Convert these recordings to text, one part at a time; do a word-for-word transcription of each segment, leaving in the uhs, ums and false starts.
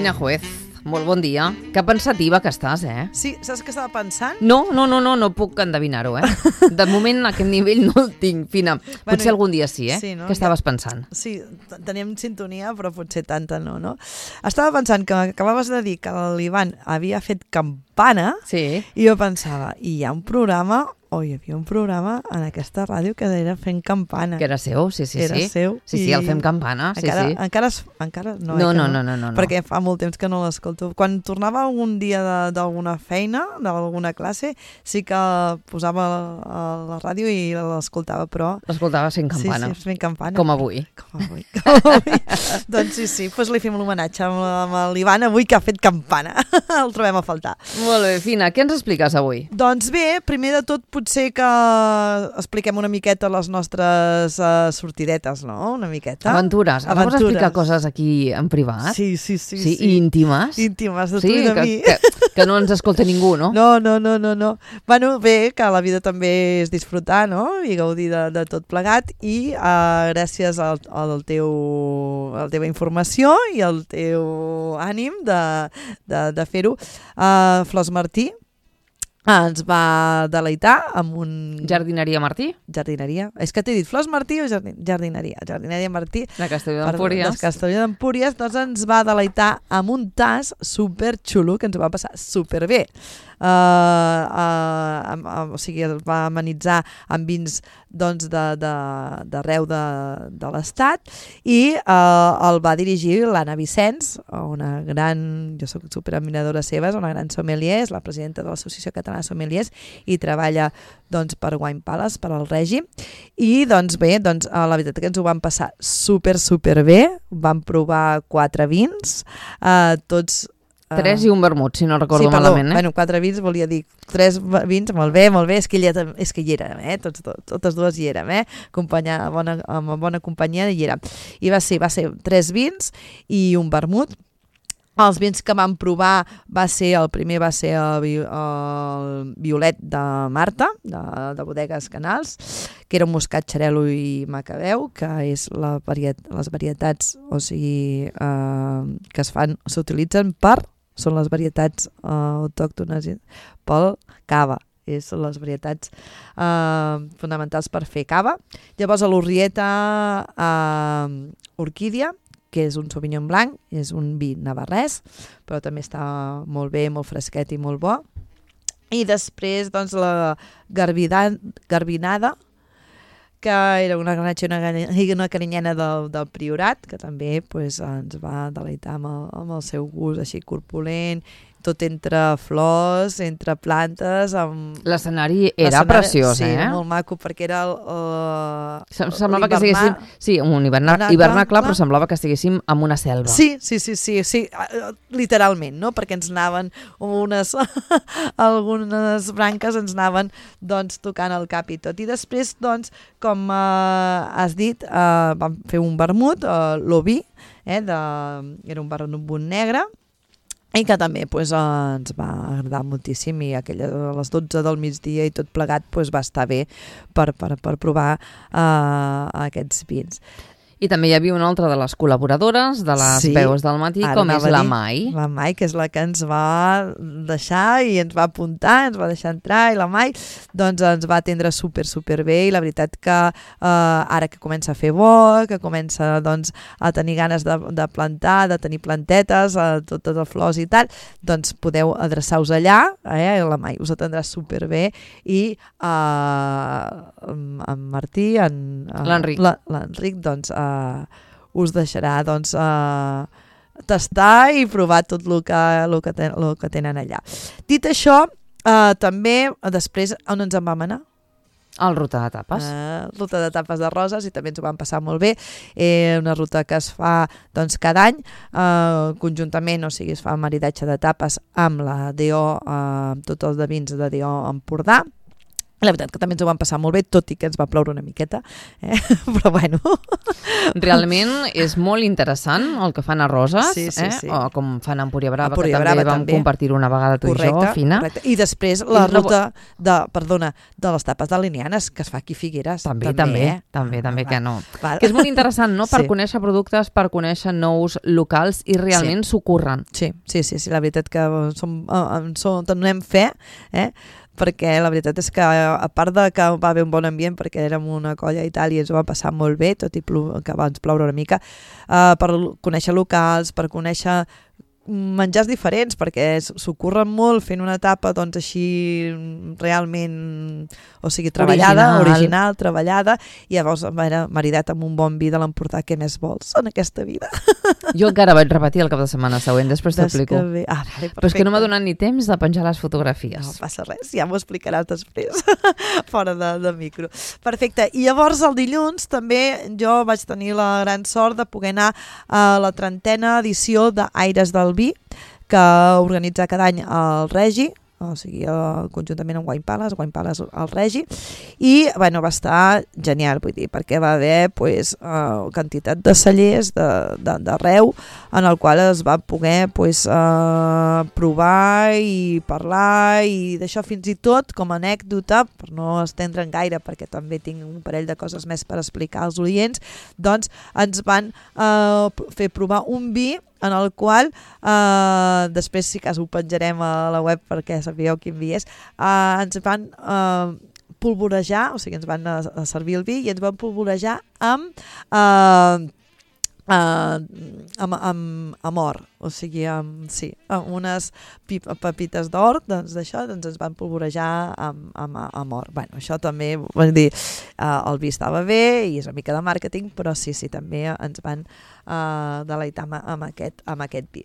Fina Juez, molt bon dia. Que pensativa que estàs, eh? Sí, saps què estava pensant? No, no, no, no, no puc endevinar-ho, eh? De moment, a aquest nivell no el tinc, Fina. Potser Bueno, algun dia sí, eh? sí, no? Què estaves pensant? Sí, t- teníem sintonia, però potser tanta no, no? Estava pensant que acabaves de dir que l'Ivan havia fet campana Sí. i jo pensava, i hi ha un programa, o hi havia un programa en aquesta ràdio que era Fent Campana. Que era seu, sí, sí, Era sí. seu Sí, sí, i el Fem Campana, sí, encara, sí. Encara, es, encara no, No, eh, que no, no, no, no, no. perquè fa molt temps que no l'escolto. Quan tornava algun dia de- d'alguna feina, d'alguna classe, sí que posava a la ràdio i l'escoltava, però... L'escoltava Fent Campana. Sí, sí, Fent Campana. Com avui. Com avui. Com avui. Doncs sí, sí, doncs li fem l'homenatge amb, amb l'Ivan avui que ha fet campana. El trobem a faltar. Molt bé, Fina, què ens expliques avui? Doncs bé, primer de tot potser que expliquem una miqueta les nostres uh, sortidetes, no? Una miqueta. Aventures. Anaves a Aventures. explicar coses aquí en privat? Sí, sí, sí. Sí, sí. íntimes? Íntimes de tu Sí, i de que, mi. que, que no ens escolta ningú, no? No, no, no, no, no. Bueno, bé, que la vida també és disfrutar, no? I gaudir de, de tot plegat i uh, gràcies al, al teu, a la teva informació i al teu ànim de, de, de fer-ho, uh, Flors Martí ens va deleitar amb un... Jardineria Martí, Jardineria. És que t'he dit Flors Martí o jardin... Jardineria? Jardineria Martí. de Castelló Perdó, d'Empúries. de Castelló d'Empúries, doncs ens va deleitar amb un tas superxulo que ens ho va passar superbé. Uh, uh, uh, uh, o sigui, el va amenitzar amb vins doncs, d'arreu de, de, de l'estat i uh, el va dirigir l'Anna Vicenç, una gran, jo soc superadmiradora seva, és una gran sommelier, és la presidenta de l'Associació Catalana de Sommeliers i treballa doncs, per Wine Palace, per al règim. I doncs bé, doncs, uh, la veritat que ens ho vam passar super, super bé, vam provar quatre vins, uh, tots Tres i un vermut, si no recordo sí, perdó, malament, eh? Bueno, quatre vins, volia dir tres vins, molt bé, molt bé, és que, ella, és que hi érem, eh? Tots, tot, totes dues hi érem, eh? Acompanyar, bona, amb bona companyia hi érem. I va ser, va ser tres vins i un vermut. Els vins que vam provar va ser, el primer va ser el, el Violet de Marta, de, de Bodegues Canals, que era un moscat xarel·lo i macabeu, que és la variet, les varietats, o sigui, eh, que es fan, s'utilitzen per, són les varietats eh, autòctones pel cava. És les varietats eh, fonamentals per fer cava. Llavors a l'Urrieta eh, Orquídia, que és un Sauvignon blanc, és un vi navarrès, però també està molt bé, molt fresquet i molt bo. I després, doncs, la garbida, garbinada, que era una granatge, una, una carinyena del, del Priorat, que també pues, ens va deleitar amb el, amb el seu gust així corpulent, tot entre flors, entre plantes. Amb... L'escenari era preciós, sí, eh? Sí, era molt maco, perquè era el... Uh, semblava que estiguéssim... Sí, un hivernacle, hivernacle, però semblava que estiguéssim en una selva. Sí, sí, sí, sí, sí, literalment, no? Perquè ens anaven unes... algunes branques ens anaven doncs, tocant el cap i tot. I després, doncs, com uh, has dit, uh, vam fer un vermut, uh, l'Oví, eh, de... era un vermut negre, i que també pues, ens va agradar moltíssim i aquella, a les dotze del migdia i tot plegat pues, va estar bé per, per, per provar uh, aquests vins. I també hi havia una altra de les col·laboradores de les sí, veus del matí, com és la Mai. La Mai, que és la que ens va deixar i ens va apuntar, ens va deixar entrar, i la Mai doncs, ens va atendre super, super bé, i la veritat que eh, ara que comença a fer bo, que comença doncs, a tenir ganes de, de plantar, de tenir plantetes, eh, totes les flors i tal, doncs podeu adreçar-vos allà, eh, la Mai us atendrà super bé, i eh, en Martí, en, l'Enric, la, l'Enric doncs, eh, Uh, us deixarà doncs, uh, tastar i provar tot el que, el que, ten, el que tenen allà. Dit això, uh, també després on ens en vam anar? El ruta de tapes. Uh, ruta de tapes de roses, i també ens ho vam passar molt bé. Eh, una ruta que es fa doncs, cada any, uh, conjuntament, o sigui, es fa maridatge de tapes amb la D O, uh, amb tots els de vins de D O Empordà. La veritat que també ens ho vam passar molt bé, tot i que ens va ploure una miqueta, eh? Però bueno. Realment és molt interessant el que fan a Roses, sí, sí, eh? sí. O com fan a Empúria Brava, Empúria que Brava també vam també. compartir una vegada tu correcte, i jo, Fina. Correcte. I després la I ruta de, perdona, de les tapes de Linianes, que es fa aquí a Figueres. També, també, també, eh? també, també ah, que no. Val. Que és molt interessant, no?, per Sí. conèixer productes, per conèixer nous locals i realment s'ho curren. Sí, sí, sí, sí, la veritat que som, en som, en donem fe, eh? Perquè la veritat és que a part de que va haver un bon ambient perquè érem una colla i tal i ens ho va passar molt bé, tot i que abans ploure una mica, uh, per conèixer locals, per conèixer menjars diferents, perquè s'ho curren molt fent una etapa doncs així realment, o sigui, treballada, original, original treballada, i llavors maridat amb un bon vi de l'Empordà, què més vols en aquesta vida? Jo encara vaig repetir el cap de setmana següent, després t'explico. Ah, vale, però és que no m'ha donat ni temps de penjar les fotografies. No passa res, ja m'ho explicaràs després, fora de, de micro. Perfecte, i llavors el dilluns també jo vaig tenir la gran sort de poder anar a la trentena edició d'Aires del Vi, que organitza cada any el Regi, o sigui, conjuntament amb Wine Palace, Wine Palace al Regi, i bueno, va estar genial, vull dir, perquè va haver pues, uh, quantitat de cellers d'arreu en el qual es va poder pues, uh, provar i parlar i d'això, fins i tot com a anècdota, per no estendre'n gaire perquè també tinc un parell de coses més per explicar als oients, doncs ens van uh, fer provar un vi en el qual, eh, després si cas ho penjarem a la web perquè sabíeu quin vi és, eh, ens van eh, polvorejar, o sigui, ens van a, a servir el vi i ens van polvorejar amb, eh, eh, amb, amb, amb or, o sigui, amb, sí, amb unes pip, pepites d'or, doncs d'això doncs ens van polvorejar amb, amb, amb or. Bueno, això també, vull dir, eh, el vi estava bé i és una mica de màrqueting, però sí, sí, també ens van Uh, deleitar amb, amb, aquest, amb aquest vi.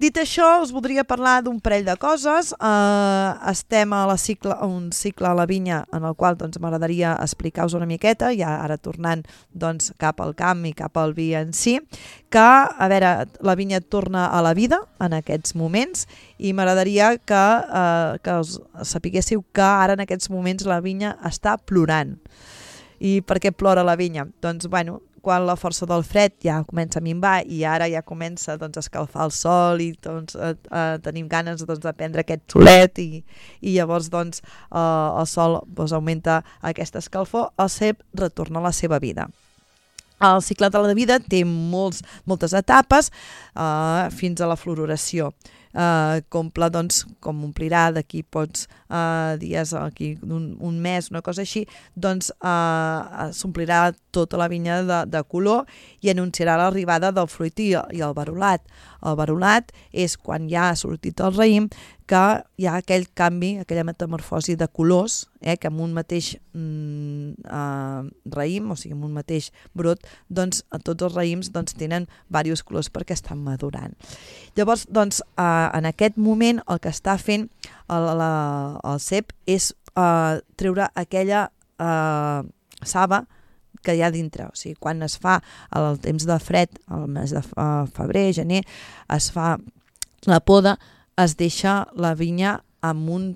Dit això, us voldria parlar d'un parell de coses. Uh, estem a la cicle, a un cicle a la vinya en el qual doncs, m'agradaria explicar-vos una miqueta, ja ara tornant doncs, cap al camp i cap al vi en si, que a veure, la vinya torna a la vida en aquests moments i m'agradaria que, uh, que us sapiguéssiu que ara en aquests moments la vinya està plorant. I per què plora la vinya? Doncs, bueno, quan la força del fred ja comença a minvar i ara ja comença doncs, a escalfar el sol i doncs, eh, eh, tenim ganes doncs, de prendre aquest solet i, i llavors doncs, eh, el sol doncs, augmenta aquesta escalfor, el cep retorna a la seva vida. El cicle de la vida té molts, moltes etapes eh, fins a la floració. Uh, comple, doncs, com omplirà d'aquí pots uh, dies, aquí un, un mes, una cosa així, doncs uh, s'omplirà tota la vinya de, de color i anunciarà l'arribada del fruit i, i el verolat. El verolat és quan ja ha sortit el raïm que hi ha aquell canvi, aquella metamorfosi de colors, eh, que amb un mateix mm, uh, raïm, o sigui, amb un mateix brot, doncs tots els raïms doncs, tenen diversos colors perquè estan madurant. Llavors, doncs, uh, en aquest moment el que està fent el, la, el cep és uh, treure aquella uh, saba que hi ha dintre, o sigui, quan es fa el temps de fred, el mes de febrer, gener, es fa la poda, es deixa la vinya amb un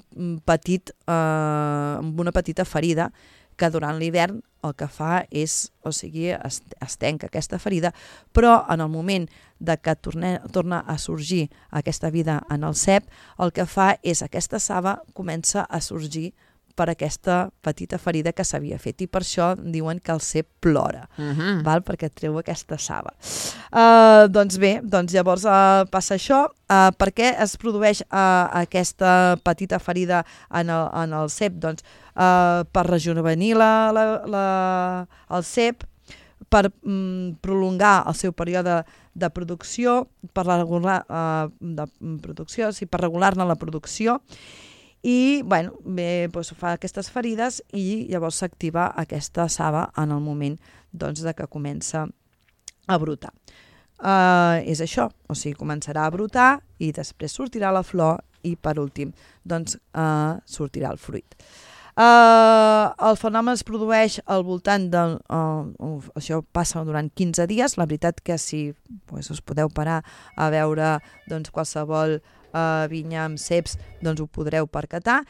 petit, eh, amb una petita ferida que durant l'hivern el que fa és, o sigui, es, es tenca aquesta ferida, però en el moment de que torne, torna a sorgir aquesta vida en el cep, el que fa és aquesta saba comença a sorgir per aquesta petita ferida que s'havia fet i per això diuen que el cep plora, uh-huh. val? Perquè treu aquesta saba. Uh, doncs bé, doncs llavors uh, passa això. Uh, per què es produeix uh, aquesta petita ferida en el, en el cep? Doncs uh, per rejuvenir la, la, la, el cep, per mm, prolongar el seu període de producció, per regular, uh, de producció, sí, per regular-ne la producció, i bueno, bé, doncs, fa aquestes ferides i llavors s'activa aquesta saba en el moment doncs, de que comença a brotar. Uh, és això, o sigui, començarà a brotar i després sortirà la flor i per últim doncs, uh, sortirà el fruit. Uh, el fenomen es produeix al voltant de... Uh, uh, això passa durant quinze dies. La veritat que si pues, us podeu parar a veure doncs, qualsevol uh, vinya amb ceps, doncs ho podreu percatar.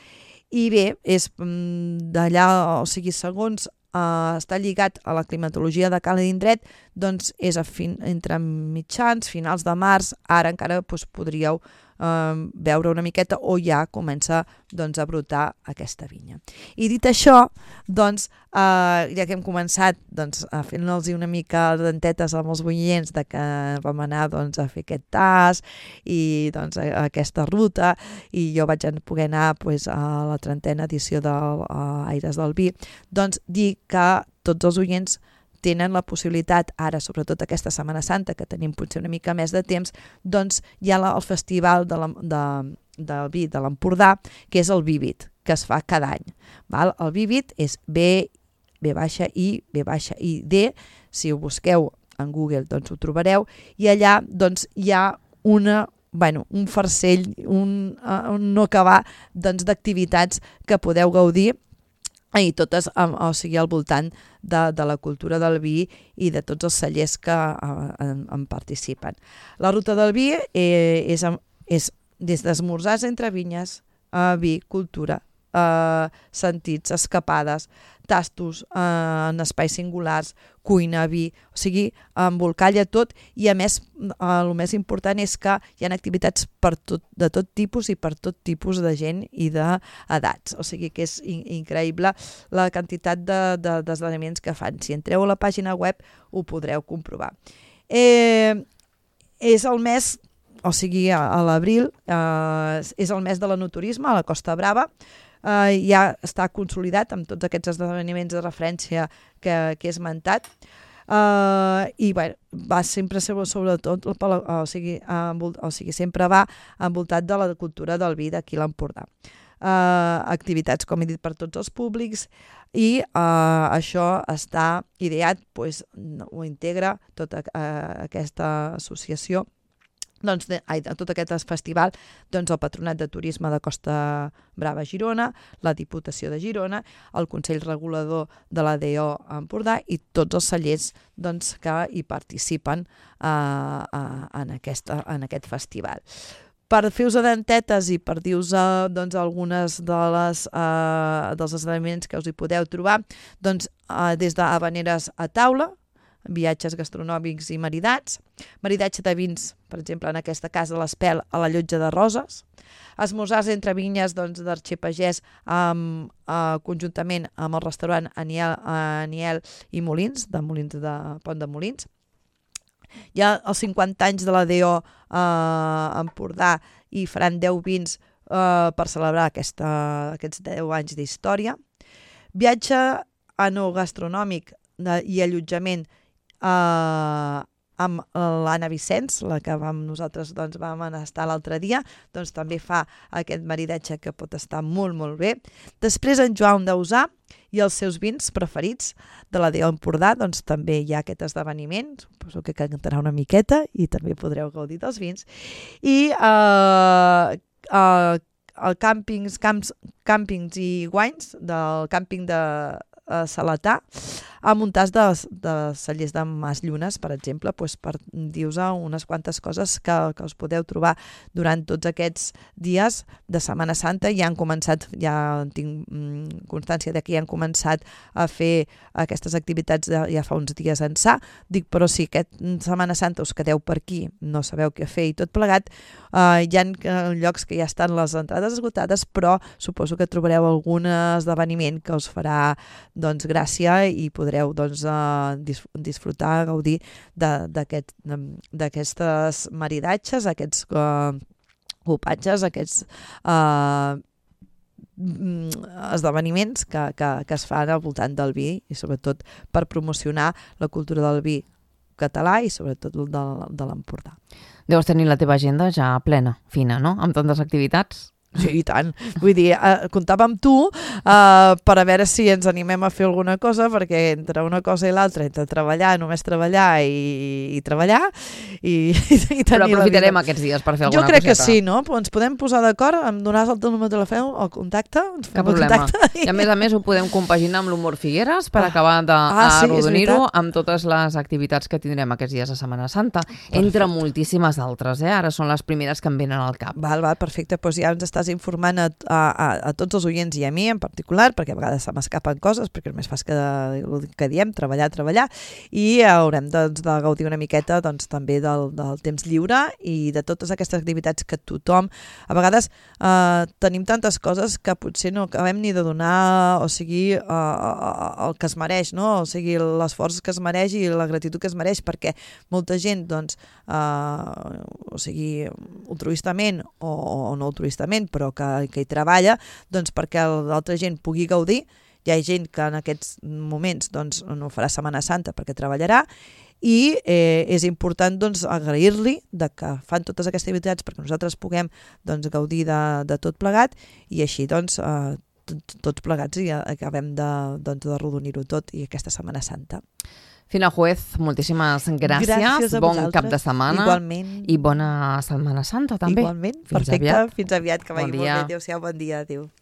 I bé, és d'allà, o sigui, segons Uh, està lligat a la climatologia de cada indret, doncs és a fin, entre mitjans, finals de març, ara encara doncs, podríeu uh, veure una miqueta o ja comença doncs, a brotar aquesta vinya. I dit això, doncs, uh, ja que hem començat doncs, a fer-nos una mica dentetes amb els boients de que vam anar doncs, a fer aquest tas i doncs, a, a aquesta ruta, i jo vaig poder anar doncs, a la trentena edició d'Aires del Vi, doncs dir que tots els oients tenen la possibilitat, ara sobretot aquesta Setmana Santa, que tenim potser una mica més de temps, doncs hi ha la, el festival de la, de, del vi de l'Empordà, que és el Vivit, que es fa cada any. Val? El Vivit és B, B baixa I, B baixa I, D, si ho busqueu en Google doncs ho trobareu, i allà doncs hi ha una bueno, un farcell, un, uh, un no acabar doncs, d'activitats que podeu gaudir i totes o sigui, al voltant de, de la cultura del vi i de tots els cellers que uh, en, en participen. La ruta del vi eh, és, és des d'esmorzars entre vinyes, uh, vi, cultura, uh, sentits, escapades, tastos uh, en espais singulars, cuina, vi, o sigui, embolcalla tot, i a més, uh, el més important és que hi ha activitats per tot, de tot tipus i per tot tipus de gent i d'edats, o sigui que és in increïble la quantitat d'esdeveniments de, de, que fan. Si entreu a la pàgina web ho podreu comprovar. Eh, és el mes, o sigui, a, a l'abril, eh, és el mes de l'enoturisme a la Costa Brava. Uh, ja està consolidat amb tots aquests esdeveniments de referència que, que he esmentat, uh, i bueno, va sempre ser sobretot, o sigui, envolt, o sigui, sempre va envoltat de la cultura del vi d'aquí a l'Empordà. Uh, activitats, com he dit, per tots els públics, i uh, això està ideat, pues, ho integra tota uh, aquesta associació, doncs, de, ai, de tot aquest festival, doncs el Patronat de Turisme de Costa Brava Girona, la Diputació de Girona, el Consell Regulador de l'A D O Empordà i tots els cellers doncs, que hi participen uh, uh, en, aquesta, en aquest festival. Per fer-vos dentetes i per dir-vos uh, doncs, algunes de les, uh, dels esdeveniments que us hi podeu trobar, doncs, uh, des d'havaneres a taula, viatges gastronòmics i maridats, maridatge de vins, per exemple, en aquesta casa de l'Espel a la Llotja de Roses, esmorzars entre vinyes doncs, d'Arxipagès amb, eh, conjuntament amb el restaurant Aniel, Aniel i Molins, de Molins de Pont de Molins. Hi ha els cinquanta anys de la D O eh, Empordà i faran deu vins eh, per celebrar aquesta, aquests deu anys d'història. Viatge enogastronòmic de, i allotjament Uh, amb l'Anna Vicenç, la que vam, nosaltres doncs, vam estar l'altre dia, doncs també fa aquest maridatge que pot estar molt, molt bé. Després en Joan Dausà i els seus vins preferits de la D O Empordà, doncs també hi ha aquest esdeveniment, suposo que cantarà una miqueta i també podreu gaudir dels vins. I uh, uh, el càmpings, camps, càmpings i guanys del càmping de uh, Salatà, amb un tas de, de cellers de Mas Llunes, per exemple, doncs per dir-vos unes quantes coses que, que us podeu trobar durant tots aquests dies de Setmana Santa. Ja han començat, ja tinc mm, constància de que ja han començat a fer aquestes activitats de, ja fa uns dies ençà. Dic, però si aquest Setmana Santa us quedeu per aquí, no sabeu què fer i tot plegat, eh, hi ha llocs que ja estan les entrades esgotades, però suposo que trobareu algun esdeveniment que us farà doncs, gràcia i podreu podreu doncs, uh, disfrutar, gaudir d'aquestes maridatges, aquests uh, copatges, aquests uh, esdeveniments que, que, que es fan al voltant del vi i sobretot per promocionar la cultura del vi català i sobretot de, de l'Empordà. Deus tenir la teva agenda ja plena, fina, no? Amb tantes activitats. Sí, i tant. Vull dir, eh, comptava amb tu eh, per a veure si ens animem a fer alguna cosa, perquè entre una cosa i l'altra, entre treballar, només treballar i, i treballar, i, i tenir... Però aprofitarem aquests dies per fer alguna coseta. Jo crec coseta. Que sí, no? Ens podem posar d'acord, em donaràs el teu número de telèfon, el contacte, ens fem Cap el problema. contacte. I a més a més ho podem compaginar amb l'humor Figueres per ah. acabar d'arrodonir-ho ah, sí, amb totes les activitats que tindrem aquests dies de Setmana Santa, perfecte. Entre moltíssimes altres, eh? Ara són les primeres que em venen al cap. Val, val, perfecte, doncs ja ens estàs vegades informant a, a, a tots els oients i a mi en particular, perquè a vegades se m'escapen coses, perquè només fas que, que diem, treballar, treballar, i haurem doncs, de gaudir una miqueta doncs, també del, del temps lliure i de totes aquestes activitats que tothom... A vegades eh, tenim tantes coses que potser no acabem ni de donar, o sigui, eh, el que es mereix, no? O sigui, l'esforç que es mereix i la gratitud que es mereix, perquè molta gent, doncs, eh, o sigui, altruistament o, o no altruistament, però que, que hi treballa, doncs perquè l'altra gent pugui gaudir. Hi ha gent que en aquests moments doncs, no farà Setmana Santa perquè treballarà i eh, és important doncs, agrair-li de que fan totes aquestes activitats perquè nosaltres puguem doncs, gaudir de, de tot plegat i així doncs, eh, tots plegats i acabem de, doncs, de rodonir-ho tot i aquesta Setmana Santa. Fina Juez, moltíssimes gràcies. Gràcies a bon vosaltres. Cap de setmana. Igualment. I bona Setmana Santa, també. Igualment. Perfecte. Fins aviat. Fins aviat, que vagi bon molt bé. Adéu-siau, bon dia. Adéu.